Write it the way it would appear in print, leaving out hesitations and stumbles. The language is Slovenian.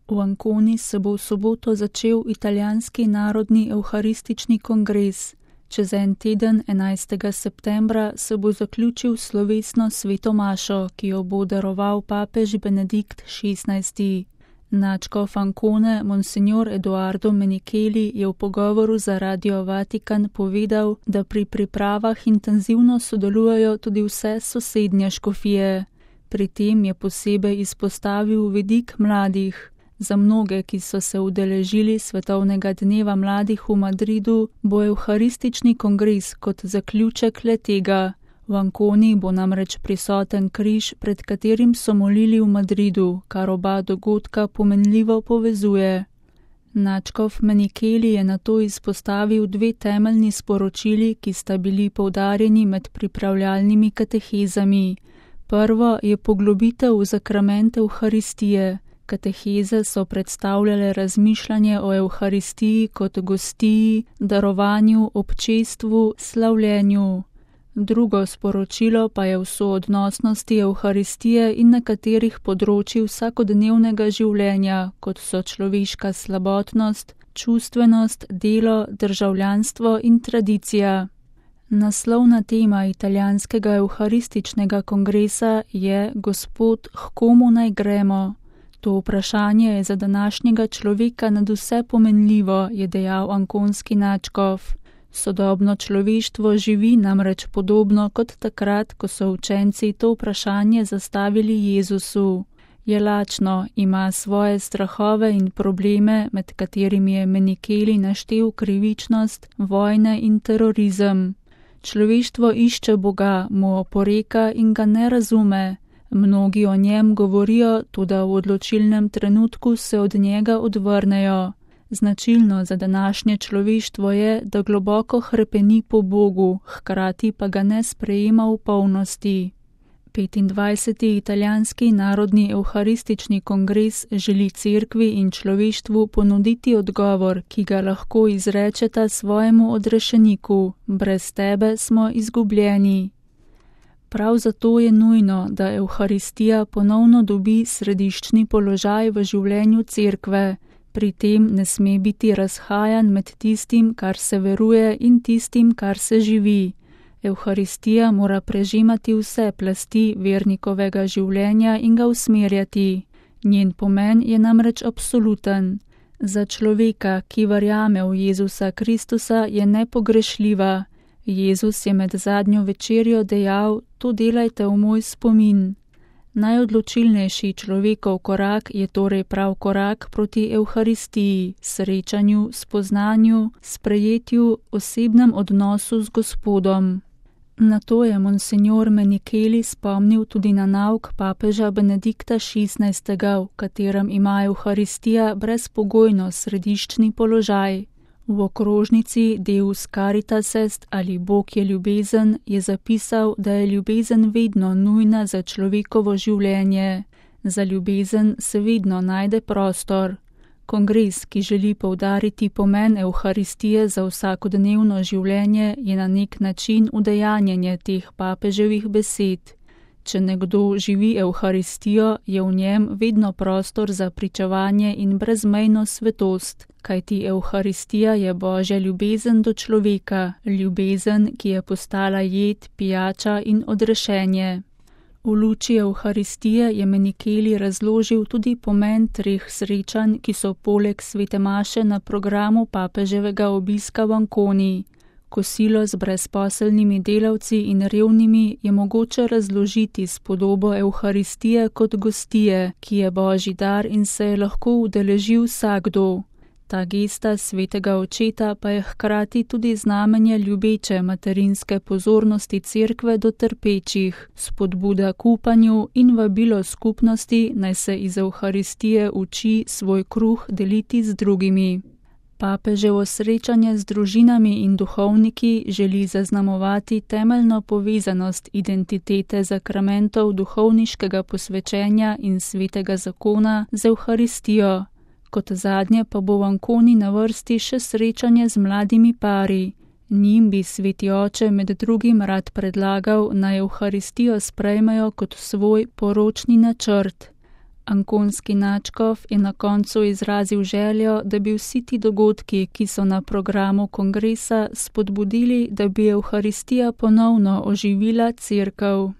V Anconi se bo v soboto začel italijanski narodni evharistični kongres. Čez en teden, 11. septembra, se bo zaključil slovesno sveto mašo, ki jo bo daroval papež Benedikt XVI. Nadškof Ancone, monsignor Edoardo Menichelli, je v pogovoru za Radio Vatikan povedal, da pri pripravah intenzivno sodelujejo tudi vse sosednje škofije. Pri tem je posebej izpostavil vidik mladih. Za mnoge, ki so se udeležili Svetovnega dneva mladih v Madridu, bo evharistični kongres kot zaključek le-tega. V Anconi bo namreč prisoten križ, pred katerim so molili v Madridu, kar oba dogodka pomenljivo povezuje. Nadškof Menichelli je nato izpostavil dve temeljni sporočili, ki sta bili poudarjeni med pripravljalnimi katehezami. Prvo je poglobitev v zakrament evharistije. Kateheze so predstavljale razmišljanje o evharistiji kot gostiji, darovanju, občestvu, slavljenju. Drugo sporočilo pa je v soodnosnosti evharistije in nekaterih področij vsakodnevnega življenja, kot so človeška slabotnost, čustvenost, delo, državljanstvo in tradicija. Naslovna tema italijanskega evharističnega kongresa je Gospod, h komu naj gremo? To vprašanje je za današnjega človeka nadvse pomenljivo, je dejal ankonski nadškof. Sodobno človeštvo živi namreč podobno kot takrat, ko so učenci to vprašanje zastavili Jezusu. Je lačno, ima svoje strahove in probleme, med katerimi je Menichelli naštel krivičnost, vojne in terorizem. Človeštvo išče Boga, mu oporeka in ga ne razume. Mnogi o njem govorijo, toda v odločilnem trenutku se od njega odvrnejo. Značilno za današnje človeštvo je, da globoko hrepeni po Bogu, hkrati pa ga ne sprejema v polnosti. 25. italijanski narodni evharistični kongres želi cerkvi in človeštvu ponuditi odgovor, ki ga lahko izrečeta svojemu odrešeniku: brez tebe smo izgubljeni. Prav zato je nujno, da evharistija ponovno dobi središčni položaj v življenju cerkve. Pri tem ne sme biti razhajanj med tistim, kar se veruje, in tistim, kar se živi. Evharistija mora prežemati vse plasti vernikovega življenja in ga usmerjati. Njen pomen je namreč absoluten. Za človeka, ki verjame v Jezusa Kristusa, je nepogrešljiva. Jezus je med zadnjo večerjo dejal: to delajte v moj spomin. Najodločilnejši človekov korak je torej prav korak proti evharistiji, srečanju, spoznanju, sprejetju, osebnem odnosu z Gospodom. Na to je monsignor Menichelli spomnil tudi na nauk papeža Benedikta XVI., v katerem ima evharistija brezpogojno središčni položaj. V okrožnici Deus Caritas Est ali Bog je ljubezen je zapisal, da je ljubezen vedno nujna za človekovo življenje. Za ljubezen se vedno najde prostor. Kongres, ki želi poudariti pomen evharistije za vsakodnevno življenje, je na nek način udejanjenje teh papeževih besed. Če nekdo živi evharistijo, je v njem vedno prostor za pričevanje in brezmejno svetost, kajti evharistija je Božja ljubezen do človeka, ljubezen, ki je postala jed, pijača in odrešenje. V luči evharistije je Menichelli razložil tudi pomen treh srečanj, ki so poleg svete maše na programu papeževega obiska v Anconi. Kosilo z brezposelnimi delavci in revnimi je mogoče razložiti s podobo evharistije kot gostije, ki je Božji dar in se je lahko udeležil vsakdo. Ta gesta svetega očeta pa je hkrati tudi znamenje ljubeče materinske pozornosti cerkve do trpečih, spodbuda k upanju in vabilo skupnosti, naj se iz evharistije uči svoj kruh deliti z drugimi. Papeževo srečanje z družinami in duhovniki želi zaznamovati temeljno povezanost identitete zakramentov duhovniškega posvečenja in svetega zakona z evharistijo. Kot zadnje pa bo v Anconi na vrsti še srečanje z mladimi pari. Njim bi sveti oče med drugim rad predlagal, naj evharistijo sprejmejo kot svoj poročni načrt. Ankonski nadškof je na koncu izrazil željo, da bi vsi ti dogodki, ki so na programu kongresa, spodbudili, da bi Evharistija ponovno oživila Cerkev.